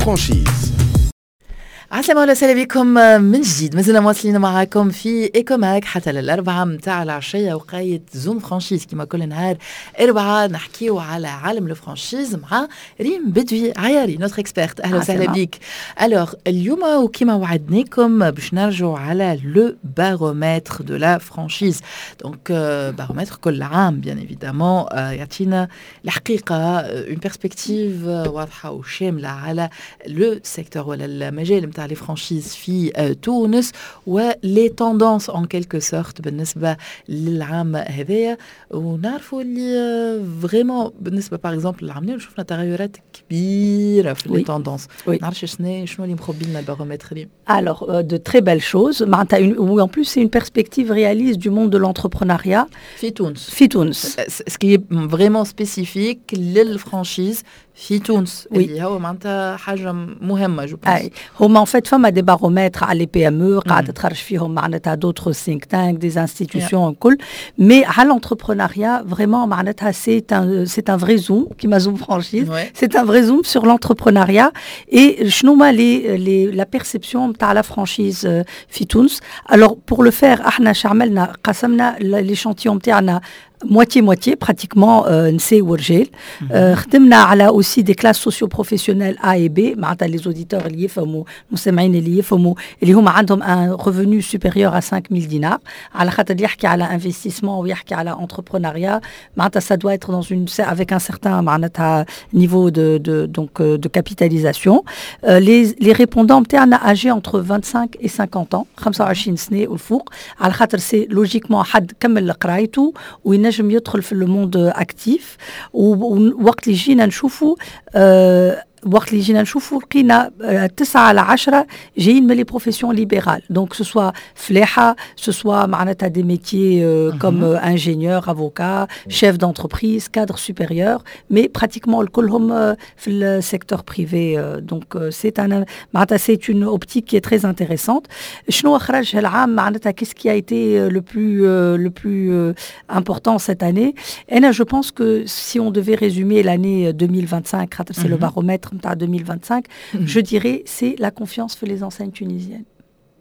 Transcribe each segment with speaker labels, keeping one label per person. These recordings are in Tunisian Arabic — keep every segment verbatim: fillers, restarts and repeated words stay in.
Speaker 1: franchise.
Speaker 2: عسلامة وسهلا بكم من جديد، مازلنا مواصلين معاكم في Ecomag حتى للأربعة متاع العشية، وقيت Zoom franchise. كما كل نهار أربعة نحكيو على عالم ال franchise مع ريم بدوي عياري، notre experte. أهلا وسهلا بك. alors اليوم وكما وعدناكم باش نرجعوا على le baromètre de la franchise. donc baromètre كل عام bien évidemment يعطينا الحقيقة une perspective واضحة وشاملة على le secteur ولا المجال نتاع les franchises في تونس و les tendances en quelque sorte بالنسبة للعام هذايا. ونعرفوا اللي vraiment بالنسبة par exemple للعام شفنا تغيرات كبيرة في les tendances. نعرفش شنو شنو اللي مخبي لنا البارومتر اليوم؟
Speaker 3: Alors, euh, de très belles choses. معناتها une, oui, en plus, c'est une perspective réaliste du monde de l'entrepreneuriat.
Speaker 2: في تونس.
Speaker 3: في تونس.
Speaker 2: Ce qui est vraiment spécifique لل franchise في تونس
Speaker 3: oui.
Speaker 2: اللي هو معناتها حاجة مهمة je pense.
Speaker 3: اي، هما en fait فما des baromètres على les PME قاعدة تخرج فيهم معناتها d'autres think tanks، des institutions الكل، mais على l'entrepreneuriat vraiment معناتها c'est un c'est un vrai zoom كيما Zoom franchise، c'est un vrai zoom sur l'entrepreneuriat et شنو هما les les la perception نتاع la franchise في تونس. alors pour le faire احنا شعملنا؟ قسمنا l'échantillon نتاعنا moitié moitié pratiquement نساء ورجال. خدمنا على aussi des classes socio-professionnelles A et B، معناتها les auditeurs اللي يفهموا، المستمعين اللي يفهموا، اللي هما عندهم un revenu supérieur à خمسة آلاف دينار، على خاطر يحكي على investissement ويحكي على entrepreneuriat معناتها ça doit être dans une avec un certain معناتها niveau de de donc de capitalisation. les les répondants نتاعنا âgés entre vingt-cinq et cinquante ans، خمسة وعشرين سنة والفوق، على خاطر c'est logiquement حد كمل قرايته وينجم يدخل في le monde actif. ووقت اللي جينا نشوفوا آه وقت اللي جينا نشوفوا لقينا تسعة على عشرة جايين من les professions libérales، donc ce soit فلاحة، ce soit معناتها des métiers comme ingénieur، avocat، chef d'entreprise، cadre supérieur، mais pratiquement كلهم في ال secteur privé. donc c'est un معناتها c'est une optique qui est très intéressante. شنو خرج هالعام؟ معناتها qu'est-ce qui a été le plus le plus important cette année؟ انا je pense que si on devait résumer l'année deux mille vingt-cinq، خاطر c'est le baromètre نتاع deux mille vingt-cinq، je dirais c'est la confiance في les enseignes tunisiennes.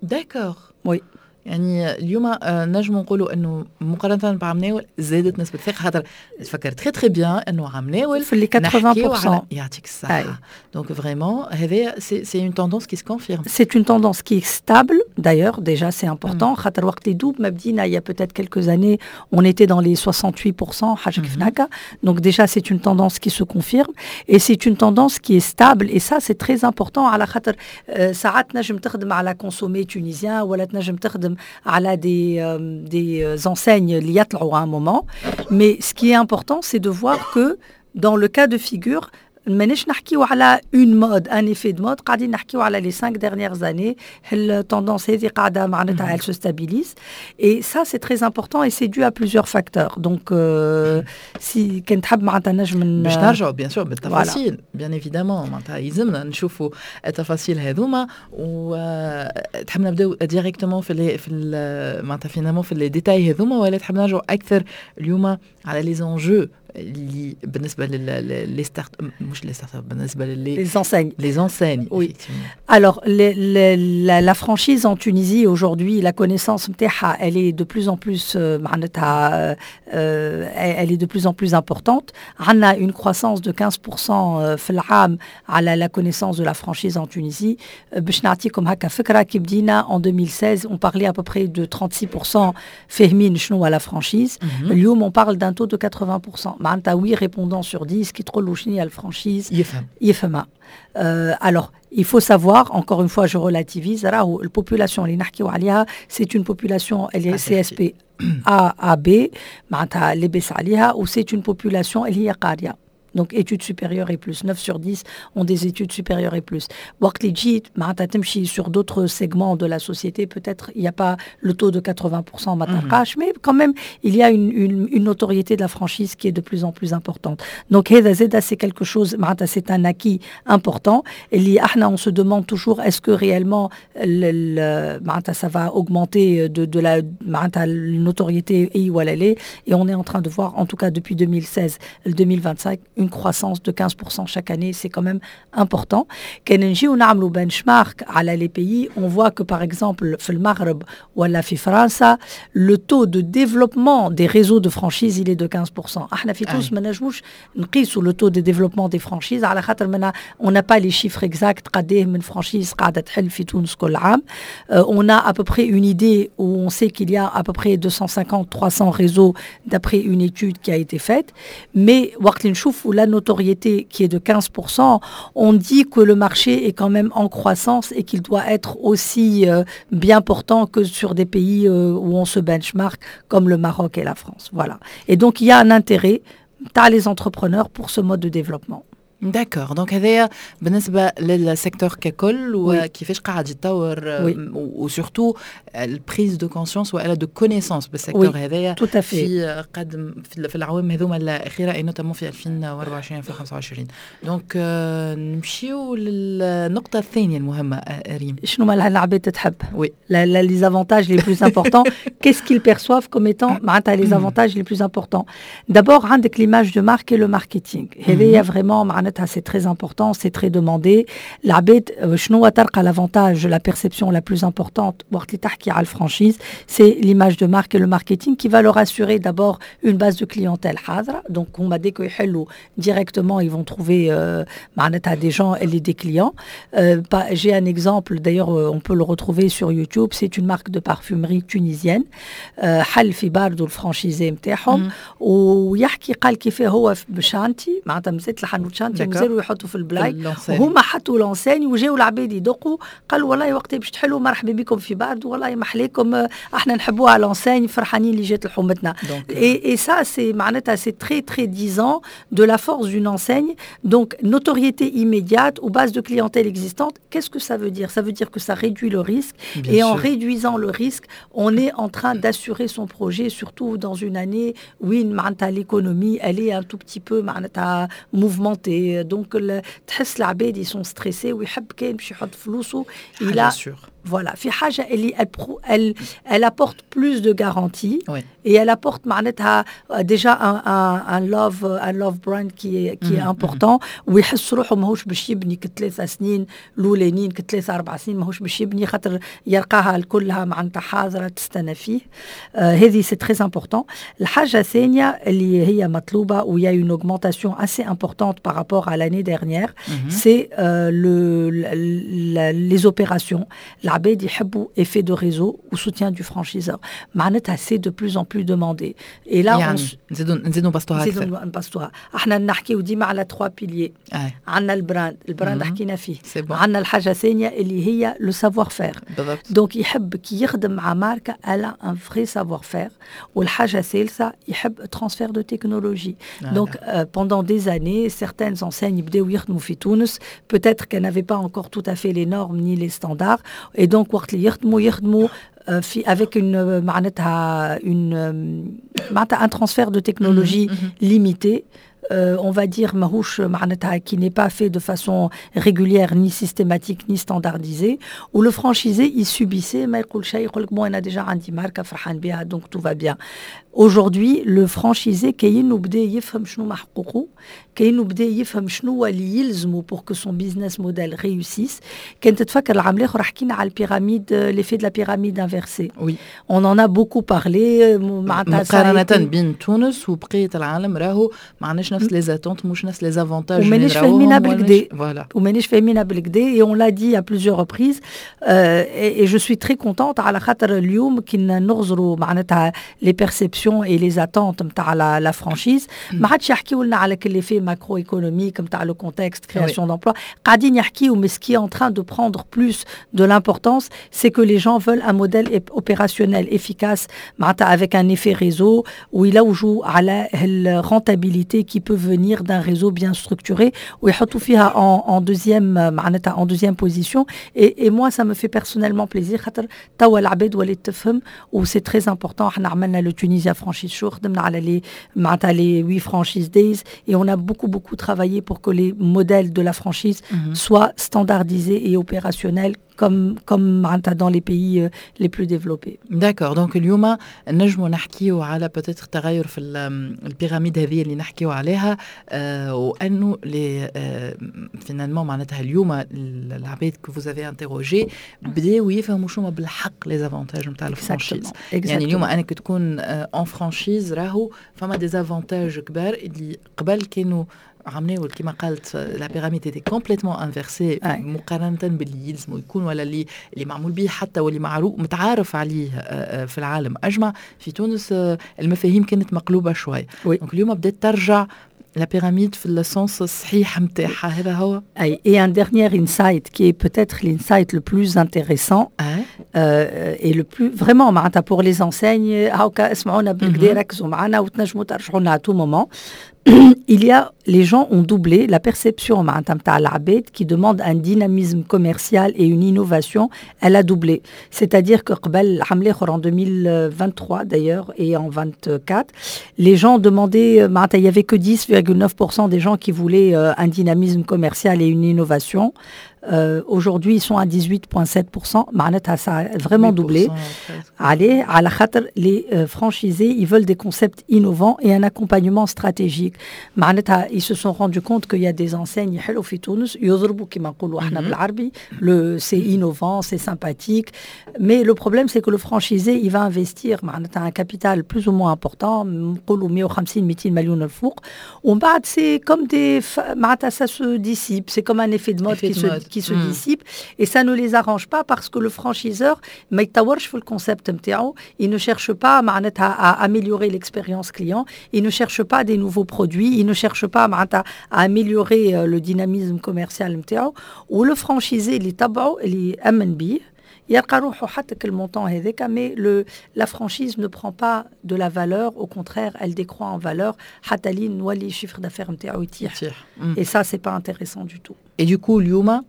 Speaker 2: D'accord.
Speaker 3: Oui.
Speaker 2: يعني اليوم نجم نقولوا انه مقارنة بعام زادت نسبه الثقه، خاطر نتفكر très très bien انه عام ناول
Speaker 3: في les ثمانين في المية.
Speaker 2: يعطيك الصحه. donc vraiment هذا c'est c'est une tendance qui se confirme.
Speaker 3: C'est une tendance qui est stable d'ailleurs، déjà c'est important، خاطر وقت اللي دوب ما بدينا il y a peut-être quelques années on était dans les soixante-huit pour cent، حاجة كيف هكا. donc déjà c'est une tendance qui se confirme et c'est une tendance qui est stable et ça c'est très important، على خاطر ساعات نجم تخدم على consommer tunisien ولا تنجم تخدم على des, euh, des enseignes اللي يطلعوا à un moment. Mais ce qui est important, c'est de voir que dans le cas de figure, ماناش نحكيو على une mode، un effet de mode، قاعدين نحكيو على les cinq dernières années، ال tendance هذه قاعدة معناتها elle se stabilise et ça c'est très important et c'est dû à plusieurs facteurs. donc euh, si كان تحب معناتها نجم
Speaker 2: باش نرجعوا bien sûr بالتفاصيل، bien évidemment، معناتها يلزمنا نشوفوا التفاصيل هذوما. وتحب نبداو directement في les في معناتها finalement في les détails هذوما ولا تحب نرجعوا اكثر اليوم على les enjeux اللي بالنسبة les start مش les startups، بالنسبة
Speaker 3: les les enseignes؟
Speaker 2: les enseignes.
Speaker 3: oui، alors les, les, la, la franchise en Tunisie aujourd'hui، la connaissance نتاعها elle est de plus en plus معناتها elle est de plus en plus importante. عندنا une croissance de quinze pour cent في العام على la connaissance de la franchise en Tunisie. باش نعطيكم هكا فكره، كي بدينا en deux mille seize on parlait à peu près de trente-six pour cent فاهمين شنو هو la franchise. اليوم on parle d'un taux de quatre-vingts pour cent، معناتها huit répondants sur dix كي تقول له شنو هي ال franchise
Speaker 2: يفهم.
Speaker 3: يفهمها. Euh, alors, il faut savoir, encore une fois, je relativise، راهو ال population اللي نحكيو عليها c'est une population اللي C S P A A B، معناتها لاباس عليها، و c'est une population اللي هي قاريه، donc études supérieures et plus، neuf sur dix ont des études supérieures et plus. وقت اللي تجي معناتها تمشي sur d'autres segments de la société، peut-être il n'y a pas le taux de quatre-vingts pour cent ما تلقاش، mais quand même il y a une, une, une notoriété de la franchise qui est de plus en plus importante. donc هذا زاد c'est quelque chose، معناتها c'est un acquis important اللي احنا on se demande toujours est-ce que réellement معناتها ça va augmenter de, de la معناتها notoriété اي ولا لا. et on est en train de voir en tout cas depuis deux mille seize ل deux mille vingt-cinq une croissance de quinze pour cent chaque année, c'est quand même important. كان نجيو نعملوا benchmark على les pays, on voit que par exemple في المغرب ولا في فرنسا, le taux de développement des réseaux de franchise, il est de quinze pour cent. احنا في تونس ما نجموش نقيسوا le taux de développement des franchises على خاطر on n'a pas les chiffres exacts, قداه من franchise قاعده تحل في تونس كل عام. On a à peu près une idée où on sait qu'il y a à peu près deux cent cinquante trois cents réseaux d'après une étude qui a été faite, mais وقت اللي نشوفوا la notoriété qui est de quinze pour cent, on dit que le marché est quand même en croissance et qu'il doit être aussi euh, bien portant que sur des pays euh, où on se benchmark comme le Maroc et la France. Voilà. Et donc il y a un intérêt تاع les entrepreneurs pour ce mode de développement.
Speaker 2: D'accord, donc هذايا بالنسبه لل secteur ككل وكيفاش قاعد يتطور و surtout ال prise de conscience والا de connaissance بال secteur هذايا في قدم في العوام هذوما الاخيره et notamment في ألفين وأربعة وعشرين ألفين وخمسة وعشرين. Donc نمشيو للنقطه الثانيه المهمه ريم.
Speaker 3: شنو ما العباد تحب؟
Speaker 2: Oui.
Speaker 3: Les avantages les plus importants, qu'est-ce qu'ils perçoivent comme étant معناتها les avantages les plus importants? D'abord عندك l'image de marque et le marketing. هذايا vraiment معناتها c'est très important, c'est très demandé. العباد شنو تلقى l'avantage, la perception la plus importante وقت اللي تحكي على ال franchise, c'est l'image de marque et le marketing qui va leur assurer d'abord une base de clientèle حاضرة. Donc هما dès que يحلوا, directement ils vont trouver euh, معناتها des gens et des clients. Euh, j'ai un exemple d'ailleurs, on peut le retrouver sur YouTube, c'est une marque de parfumerie tunisienne حل في باردو ال franchisé نتاعهم ويحكي قال كيف هو ب chantier معناتها مازالت الحانوت chantier مازالوا يحطوا في البلايك وهما حطوا l'enseigne وجاوا العباد يدقوا قالوا والله وقت باش تحلوا مرحبا بكم في باردو والله محليكم احنا نحبوها l'enseigne فرحانين اللي جات لحومتنا. Et et ça, c'est معناتها c'est très très disant de la force d'une enseigne. Donc notoriété immédiate ou base de clientèle existante, qu'est-ce que ça veut dire? Ça veut dire que ça réduit le risque. Bien et sûr. En réduisant le risque, on est en train d'assurer son projet, surtout dans une année où l'économie, elle est un tout petit peu معناتها mouvementée. Donc تحس العباد ils sont stressés ويحب كان باش يحط فلوسه
Speaker 2: il a sûr.
Speaker 3: Voilà, في حاجة اللي elle, elle, elle apporte plus de garanties
Speaker 2: oui.
Speaker 3: Et elle apporte معناتها déjà un, un, un love un love brand qui est, qui est mmh, important mmh. ويحس روحه ماهوش باش يبني كثلاثة سنين الاولانيين كثلاثة أربع سنين ماهوش باش يبني خاطر يلقاها كلها معناتها حاضرة تستنى فيه. آه هذه c'est très important. الحاجة الثانية اللي هي مطلوبة où il y a une augmentation assez importante par rapport à l'année dernière, mmh. c'est euh, le, le, les opérations. العباد يحبوا effet de réseau ou soutien du franchiseur معناتها c'est de plus en plus demandé
Speaker 2: et là يعني نزيدوا نزيدوا نبسطوها.
Speaker 3: اكثر نزيدوا نبسطوها. احنا نحكيو ديما على trois piliers. عندنا ال brand, ال brand حكينا فيه. عندنا الحاجه الثانيه اللي هي le savoir-faire. Donc يحب كي يخدم مع ماركه elle a un vrai savoir-faire. والحاجه الثالثه يحب transfert de technologie. Donc pendant des années, certaines enseignes بداو يخدموا في تونس, peut-être qu'elles n'avaient pas encore tout à fait les normes ni les standards, et donc وقت اللي يخدموا يخدموا في avec une معناتها une معناتها un transfert de technologie limité, euh, on va dire ماهوش معناتها qui n'est pas fait de façon régulière, ni systématique, ni standardisée, où le franchisé, il subissait ما يقول شيء يقول لك bon انا déjà عندي ماركه فرحان بها, donc tout va bien. Aujourd'hui, le franchisé كاينو بدا يفهم شنو ما حقوقه كاينو بدا يفهم شنو اللي يلزمه pour que son business model réussisse. كان تتفكر العام الاخر حكينا على ال pyramide, l'effet de la pyramide inversée.
Speaker 2: Oui.
Speaker 3: On en a beaucoup parlé.
Speaker 2: مقارنة بين تونس وبقية العالم راهو ما عندناش نفس les attentes مش نفس les avantages.
Speaker 3: ومانيش فاهمينها بالكدا.
Speaker 2: Voilà.
Speaker 3: ومانيش فاهمينها بالكدا et on l'a dit à plusieurs reprises euh, et, et je suis très contente على خاطر اليوم كي نغزروا معناتها les perceptions et les attentes نتاع la, la franchise ما عادش يحكيو لنا على l'effet macroéconomique نتاع le contexte, création d'emplois. قاعدين يحكيو, mais ce qui est en train de prendre plus de l'importance, c'est que les gens veulent un modèle opérationnel efficace معناتها avec un effet réseau ويلوجوا على ال rentabilité qui peut venir d'un réseau bien structuré ويحطوا فيها en, en deuxième معناتها en deuxième position. Et, et moi, ça me fait personnellement plaisir خاطر توا العباد ولات تفهم و c'est très important. احنا عملنا le Tunisia Franchise Show, خدمنا على les معناتها les huit franchise days et on a beaucoup beaucoup travaillé pour que les modèles de la franchise mm -hmm. soient standardisés et opérationnels. comme comme معناتها dans les pays les plus développés.
Speaker 2: D'accord, donc اليوم نجموا نحكيو على peut-être تغير في ال pyramide هذه اللي نحكيو عليها، آه وانه les آه finalement معناتها اليوم العباد que vous avez interrogés بداو يفهموا شنو بالحق les avantages نتاع ال franchise. يعني اليوم انك تكون en franchise راهو فما des avantages كبار اللي قبل كانوا عملناه، كما قالت la pyramide était complètement inversée مقارنة باللي يلزموا يكون ولا اللي اللي معمول به حتى واللي معروف متعارف عليه في العالم اجمع. في تونس المفاهيم كانت مقلوبة شوي، donc اليوم بدات ترجع la pyramide في ال sens الصحيح نتاعها، هذا هو.
Speaker 3: Et un dernier insight qui est peut-être l'insight le plus intéressant euh, et le plus vraiment معناتها pour les enseignes، هاكا اسمعونا بالكدا، ركزوا معنا وتنجموا ترجعوا لنا à tout moment. Il y a les gens ont doublé la perception معناتها نتاع العباد qui demande un dynamisme commercial et une innovation, elle a doublé. C'est-à-dire que قبل العام الاخر، en deux mille vingt-trois d'ailleurs et en vingt-quatre, les gens demandaient معناتها il y avait que dix virgule neuf pour cent des gens qui voulaient un dynamisme commercial et une innovation. Euh, aujourd'hui, ils sont à dix-huit virgule sept pour cent. معناتها ça a vraiment doublé. Allez, على خاطر les euh, franchisés, ils veulent des concepts innovants et un accompagnement stratégique. معناتها ils se sont rendu compte qu'il y a des enseignes يحلوا في تونس، يضربوا كما نقولوا احنا بالعربي، le c'est innovant, c'est sympathique, mais le problème, c'est que le franchisé, il va investir معناتها un capital plus ou moins important، نقولوا مية وخمسين ميتين مليون الفوق، ومن بعد c'est comme des معناتها ça se dissipe, c'est comme un effet de mode qui se qui se mm. dissipe et ça ne les arrange pas parce que le franchiseur ما يطورش في ال concept نتاعو، il ne cherche pas معناتها à améliorer l'expérience client, il ne cherche pas des nouveaux produits, il ne cherche pas معناتها à améliorer le dynamisme commercial نتاعو. و le franchisé اللي تبعه، اللي امن بيه، يلقى روحه حتى ال montant هذاك، mais le la franchise ne prend pas de la valeur, au contraire, elle décroît en valeur حتى لين نولي ال chiffre d'affaires نتاعو يطيح et ça, c'est pas intéressant du tout.
Speaker 2: Et du coup اليوم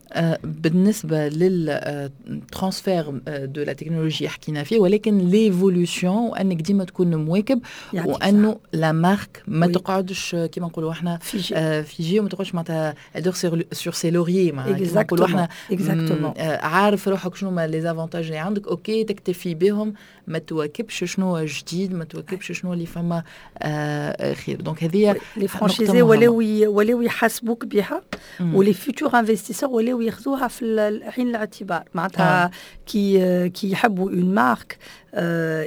Speaker 2: بالنسبة لل transfert de la technologie حكينا فيه، ولكن l'évolution وانك ديما تكون مواكب وانه la marque ما تقعدش كيما نقولوا احنا figée figée وما تقعدش معناتها dort sur ses lauriers، كيما نقولوا احنا، عارف روحك شنو ما les avantages اللي عندك، OK، تكتفي بهم، ما تواكبش شنو جديد، ما تواكبش شنو اللي فما خير. donc هذه
Speaker 3: les franchisés ولاو ولاو يحاسبوك بها، و les futurs investisseurs ولاو ياخذوها في عين الاعتبار. معناتها كي كي يحبوا une marque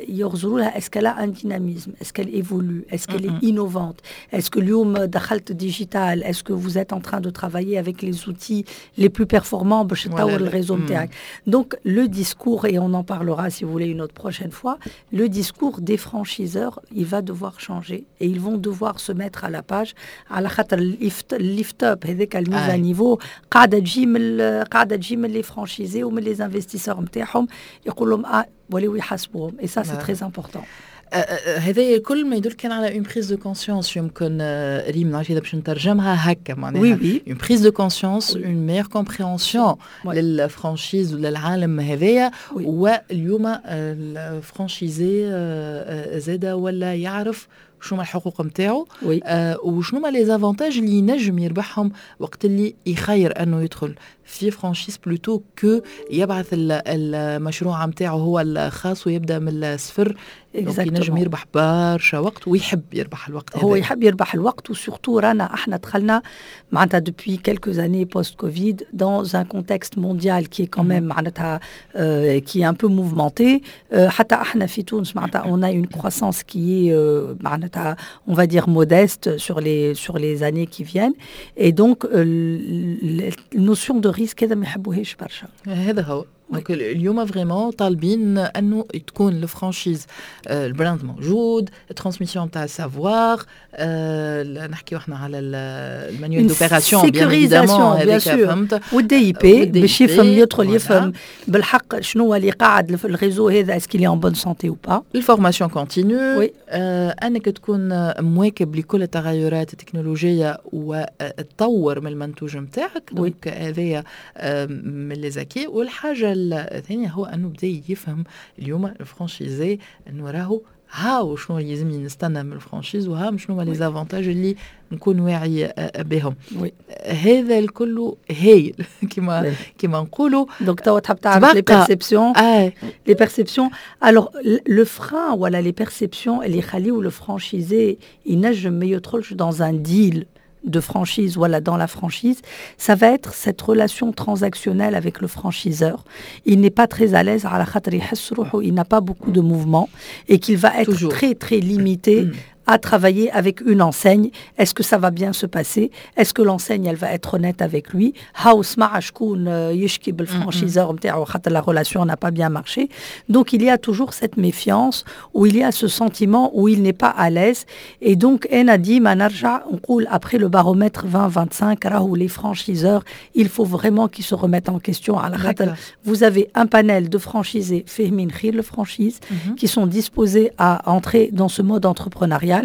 Speaker 3: يغزروا لها est-ce qu'elle a un dynamisme, est-ce qu'elle évolue, est-ce qu'elle est innovante, est-ce que اليوم دخلت digital, est-ce que vous êtes en train de travailler avec les outils les plus performants باش تطور ال réseau نتاعك. Donc le discours, et on en parlera si vous voulez une autre prochaine fois, le discours des franchiseurs, il va devoir changer et ils vont devoir se mettre à la page على خاطر ال lift up هذاك، ال mise à niveau، قاعدة تجي من قاعدة تجي من les franchisés ومن les investisseurs نتاعهم، يقول لهم اه ولاو يحاسبوهم et ça, c'est très important.
Speaker 2: هذا الكل ما يدل كان على une prise de conscience يمكن، ريم، نعرف اذا باش نترجمها هكا معناها
Speaker 3: oui oui
Speaker 2: une prise de conscience, une meilleure compréhension لل franchise وللعالم هذايا. واليوم ال franchisé زاده ولا يعرف شنو هما الحقوق نتاعو آه وشنو هما les avantages اللي ينجم يربحهم وقت اللي يخير انه يدخل في franchise plutôt que يبعث المشروع نتاعو هو الخاص ويبدا من الصفر. ينجم يربح برشا وقت ويحب يربح الوقت.
Speaker 3: هو يحب يربح الوقت، و surtout رانا احنا دخلنا معناتها depuis quelques années post-Covid dans un contexte mondial qui est quand même معناتها euh, qui est un peu mouvementé. euh, حتى احنا في تونس معناتها on a une croissance qui est euh, معناتها on va dire modeste sur les sur les années qui viennent et donc euh, la notion de risque هذا ما يحبوهاش برشا.
Speaker 2: هذا هو. donc اليوم vraiment طالبين انه تكون ال franchise، ال brand موجود، transmission تاع ال savoir، نحكيو احنا على ال manuel d'opération
Speaker 3: bien évidemment هذاك، فهمت، وال DIP باش يفهم، يدخل يفهم بالحق شنو اللي قاعد في ال réseau هذا، est-ce qu'il est en bonne santé ou pas.
Speaker 2: ال formation continue، انك تكون مواكب لكل التغيرات التكنولوجية وتطور من المنتوج نتاعك، donc هذايا من les acquis. والحاجة الثانية هو انه بدا يفهم اليوم ال franchisé انه راهو هاو شنو لازمني نستنى من ال franchise وهاو شنو هما les avantages اللي نكون واعي بهم. هذا الكل هايل كما كما نقولوا.
Speaker 3: donc توا تحب تعرف les perceptions؟ les perceptions، alors le frein ولا les perceptions اللي يخليو le franchisé ينجم ما يدخلش dans un deal de franchise, voilà, dans la franchise, ça va être cette relation transactionnelle avec le franchiseur. Il n'est pas très à l'aise, على خاطر يحس روحه il n'a pas beaucoup de mouvement et qu'il va être Toujours. très très limité mmh. à travailler avec une enseigne. Est-ce que ça va bien se passer؟ Est-ce que l'enseigne, elle va être honnête avec lui؟ هاو سمع شكون يشكي بال franchiseur نتاعو خاطر la relation n'a pas bien marché. Donc il y a toujours cette méfiance où il y a ce sentiment où il n'est pas à l'aise. Et donc أنا ديما نرجع نقول après le baromètre vingt vingt-cinq راهو les franchiseurs, il faut vraiment qu'ils se remettent en question على خاطر vous avez un panel de franchisés فاهمين خير le franchise mm -hmm. qui sont disposés à entrer dans ce mode entrepreneurial,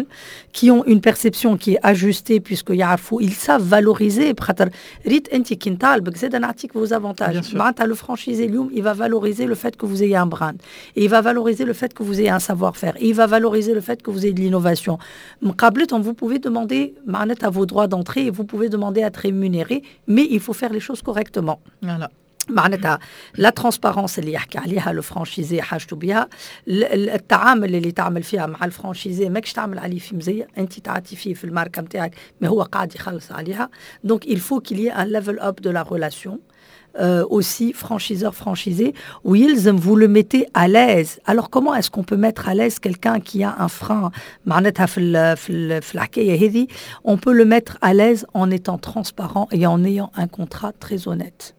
Speaker 3: qui ont une perception qui est ajustée puisque يعرفوا, ils savent valoriser خاطر ريت انت كي نطالبك زاد نعطيك vos avantages. معناتها le franchisé اليوم il va valoriser le fait que vous ayez un brand et il va valoriser le fait que vous ayez un savoir-faire et il va valoriser le fait que vous ayez de l'innovation. مقابلتهم vous pouvez demander معناتها vos droits d'entrée et vous pouvez demander à être rémunéré, mais il faut faire les choses correctement.
Speaker 2: Voilà.
Speaker 3: معناتها la transparence اللي يحكي عليها le franchisé حاجته بها، التعامل اللي تعمل فيها مع ال franchisé ماكش تعمل عليه في مزيه، انت تعطي فيه في الماركه نتاعك mais هو قاعد يخلص عليها. donc il faut qu'il y ait un level up de la relation euh, aussi franchiseur franchisé ويلزم vous le mettez à l'aise. alors comment est-ce qu'on peut mettre à l'aise quelqu'un qui a un frein معناتها في ال في ال في الحكايه هذه؟ on peut le mettre à l'aise en étant transparent et en ayant un contrat très honnête.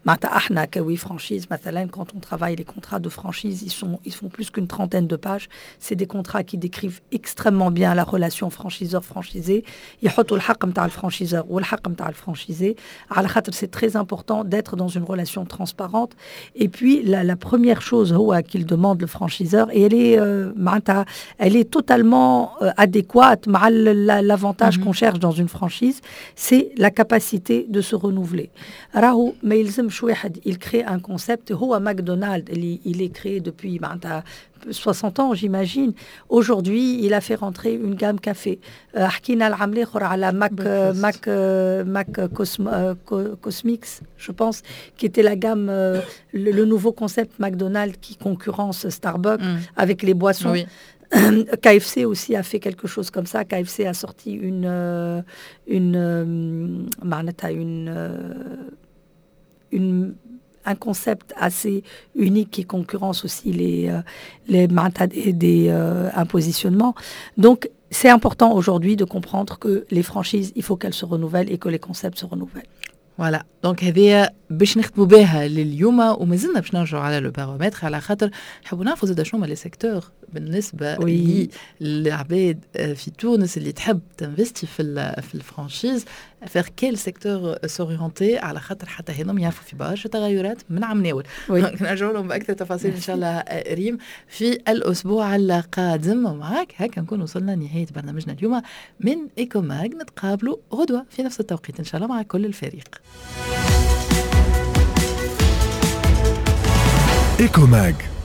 Speaker 3: معناتها احنا ك We Franchise مثلا, quand on travaille les contrats de franchise, ils sont ils font plus qu'une trentaine de pages. c'est des contrats qui décrivent extrêmement bien la relation franchiseur franchisé. يحطوا الحق نتاع ال franchiseur والحق نتاع ال franchisé على خاطر c'est très important d'être dans une relation transparente. et puis la, la première chose هو qu'il demande le franchiseur, et elle est euh, معناتها elle est totalement euh, adéquate مع l'avantage mm -hmm. qu'on cherche dans une franchise, c'est la capacité de se renouveler. راهو ما يلزمش واحد il crée un concept. هو ماكدونالد اللي il est créé depuis معناتها soixante ans, j'imagine. Aujourd'hui, il a fait rentrer une gamme café. حكينا العام الاخر على Mac Mac Mac Cosmix, je pense, qui était la gamme, le, le nouveau concept McDonald's qui concurrence Starbucks mm. avec les boissons. Oui. K F C aussi a fait quelque chose comme ça. K F C a sorti une une معناتها une une un concept assez unique qui concurrence aussi les, les des, des euh, un positionnement. Donc, c'est important aujourd'hui de comprendre que les franchises, il faut qu'elles se renouvellent et que les concepts se renouvellent.
Speaker 2: voilà, donc هذه باش نختموا بها لليوم ومازلنا باش نرجعوا على le baromètre على خاطر نحبوا نعرفوا زاد شنو هما les secteurs بالنسبه oui. للعباد في تونس اللي تحب تنفستي في في ال franchise, vers quel secteur s'orienter, على خاطر حتى هذم يعرفوا في برشا تغيرات من عام ناول. نرجعوا لهم باكثر تفاصيل ان شاء الله ريم في الاسبوع القادم معك. هكا نكون وصلنا لنهايه برنامجنا اليوم من Ecomag. نتقابلوا غدوه في نفس التوقيت ان شاء الله مع كل الفريق.
Speaker 1: Ecomag.